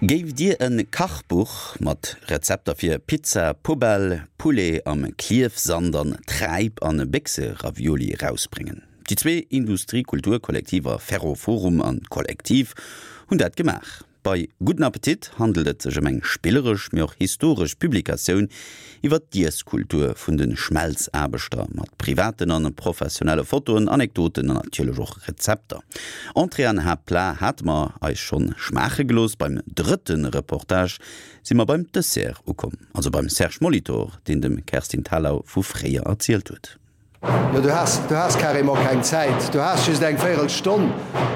Géift Dir en Kachbuch mat Rezepter fir Pizza, Poubelle, Poulet am Klierfsand an Träip an Béchse-Ravioli erausbréngen? Déi zwee Industrie-Kultur-Kollektiver Ferroforum an Kollektiv hunn dat gemaach. Bei Gudden Appetit handelt et sech ëm eng spilleresch, mee och historesch Publikatioun iwwer d'Iesskultur vun de Schmelzaarbechter, mat privaten an professionelle Fotoen, Anekdoten an natierlech och Rezepter. Entrée an Haaptplat hate mer eis schonn schmaache gelooss. Beim drëtte Reportage si mer beim Dessert ukomm, also beim Serge Molitor, deen dem Kerstin Thalau vu fréier erzielt huet. Jo, du has, du has carrément keng Zäit. Du has just eng Véirelstonn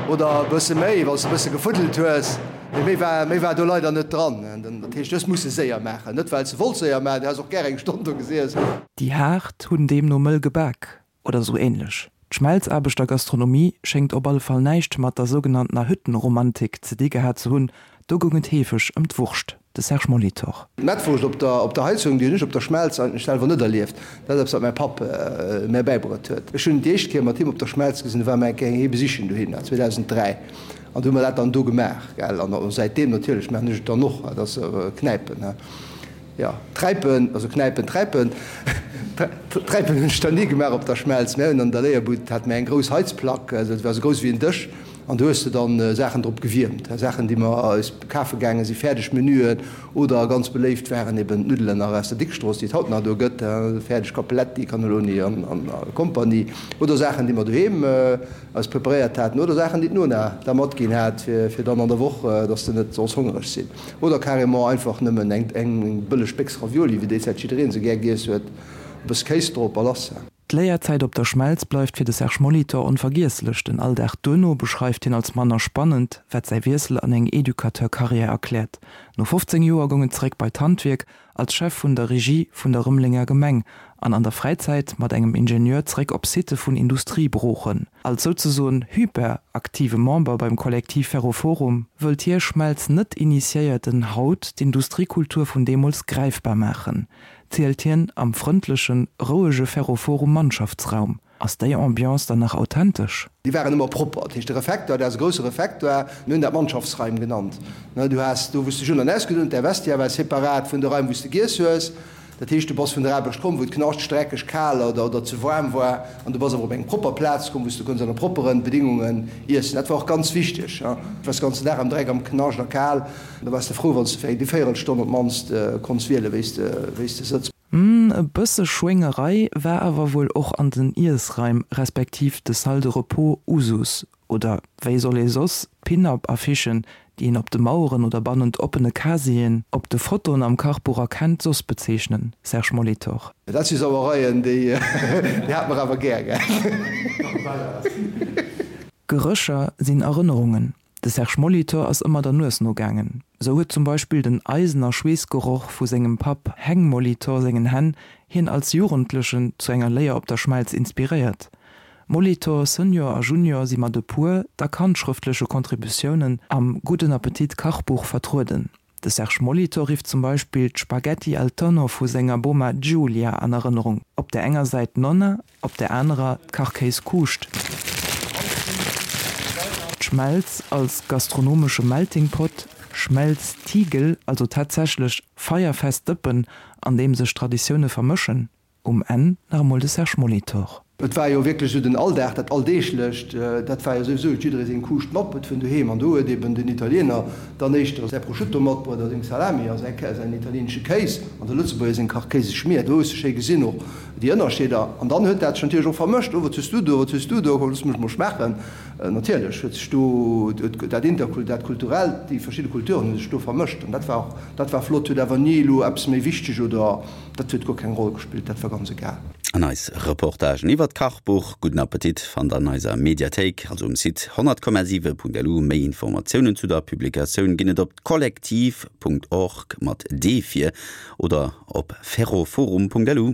oder e bësse méi, wann s de e bësse gefuddelt hues. Mee méi war, méi war do leider net dran. Dat heescht, du hues musse séier maachen. Net well s de wollts séier maachen, du häss och gär eng Stonn do gesiess. Déi Haart hunn deemno mëll gebak oder sou ähnlech. D'Schmelzaarbechtergastronomie schéngt op alle Fall näischt mat der sougenanntener Hüttenromantik ze di gehat ze hunn, do goung et heefeg ëm d'Wurscht. De Serge Molitor. D'Mettwurscht op der op der Heizung, déi hunn ech op der Schmelz eigentlech selwer net erlieft. Dat ass eppes, wat mäi Papp mär bäibruet huet. Ech hunn déi éischt Kéier mat him op der Schmelz gesinn, do ware mer eng Kéier hie besichen dohinner, 2003, an do hu mer dat dann do gemaach, gell. An säitdeem natierlech maachen ech et dann och, dat ass Knäipen, he. Jo, Träipen, also Knäipen, Träipen. Träipen hunn ech dann ni gemaach op der Schmelz. Mär hunn an der Léierbud hate mir eng grouss Heizplack, also dat war esou grouss wéi en Dësch. An do hues de dann Saachen drop gewiermt, Saachen déi mer eis kafe gaange si, fäerdeg Menüen oder ganz beléift waren eben d'Nuddelen nach aus der Dickstrooss, déi et haut nach do gëtt, fäerdeg Cappelletti, Cannelloni an Kompanie oder Saachen déi mer doheem eis preparéiert haten oder Saachen déi d'Nona da matginn hat fir dann an der Woch, dass de net solls hongereg sinn oder carrément einfach nëmmen eng bëlleg Béchs Ravioli, wéi déi Zäit jiddereen se gär giess huet, e bësse Kéis drop a lass. D'Léierzäit op der Schmelz bleift fir de Serge Molitor onvergiesslech. Den Alldag duerno beschreift hien als manner spannend, wat säi Wiessel an eng Educateur-Karriär erkläert. No 15 Joer goung et zeréck bei d'Handwierk, als Chef vun der Regie vun der Rëmelenger Gemeng an an der Fräizäit mat engem Ingenieur zeréck op Sitte vun Industriebroochen. Als souzesoen hyperaktive Member beim Kollektiv Ferroforum wëllt hie Schmelz Net-Initiéierten haut d'Industriekultur vun deemools gräifbar maachen. Zielt hien am frëndlechen, rouege Ferroforum Mannschaftsraum. Ass déi Ambiance dann nach authentesch? Déi waren ëmmer propper. Dat heescht, de Refektoir, dat ass e grousse Refektoir, mir hunn dat Mannschaftsraim genannt. Du has do, wou s de dech un an ausgedoen hues, däi Vestiaire war separat vun de Raim, wou s de giess hues. Dat heescht, du bass vun der Aarbecht komm, wou et knaschteg, dreckeg, kal oder oder ze waarm war, an du bass awer op eng propper Plaz komm, wou s de konns ënner propperen Bedingungen iessen. Dat war och ganz wichteg. Du waars de ganzen Dag am Dreck, am Knascht a kal. Da waars de frou, wann s de fir eng Véierelstonn op d'mannst konns wielen, wéi s de, wéi s de sëtz. Hm, e bësse Schwéngerei war awer wuel och an den Iessraim, respektiv de Salle de repos Usus. Oder wéi soll ee soss d'Pin-Up-Affichen, déi een op de Maueren oder bannent oppene Casieren op de Fotoen am Kachbuch erkennt, soss bezeechnen? Serge Molitor. Dat si Sauereien, déi hat mer awer gär, gell? Gerécher sinn Erënnerungen. De Serge Molitor ass ëmmer der Nues nogaangen. Sou huet zum Beispill den Eisen a Schweessgeroch vu sengem Papp Heng Molitor sengen Hänn hien als Jugendlechen zu enger Léier op der Schmelz inspiréiert. Molitor Senior a Junior si mat e puer dack handschrëftleche Contributiounen am Gudden Appetit Kachbuch vertrueden. De Serge Molitor rifft zum Beispill d'Spaghetti al tonno vu senger Boma Giulia an Erënnerung, op där enger Säit d'Nonna, op där anerer d'Kachkéis-Kuuscht. D'Schmelz als gastronomesche Melting Pot, Schmelztiegel, also tatsächlech feierfest Dëppen, an deem sech Traditioune vermëschen. Um Enn nach emol de Serge Molitor. Et war jo wierklech esou den Alldag, dat Alldeeglecht, dat war jo souwisou, huet jidderee seng Kuuscht matbruet vun doheem. An do huet eben den Italiener dann éischter säi Prosciutto matbruet a seng Salami a säi säin italienesche Kéis an de Lëtzebuerger seng Kachkéiseschmier. Do hues de schéi gesinn och déi Ënnerscheeder. An dann huet dat sech natierlech och vermëscht, Oh, wat hues du do, wat hues du do, komm looss mech mol schmaachen. Natierlech huet sech do dat Interkult, dat Kulturellt, déi verschidde Kulturen hu sech do vermëscht. An dat war och, dat war flott, huet awer ni elo eppes méi wichteg oder Dat huet guer keng Roll gespillt, dat war ganz egal. An eis Reportagen iwwert d'Kachbuch Gudden Appetit fannt der an eiser Mediathéik, also um Site 100,7.lu. Méi Informatiounen zu der Publikatioun ginn et op kollektiv.org mat D vir oder op ferroforum.lu.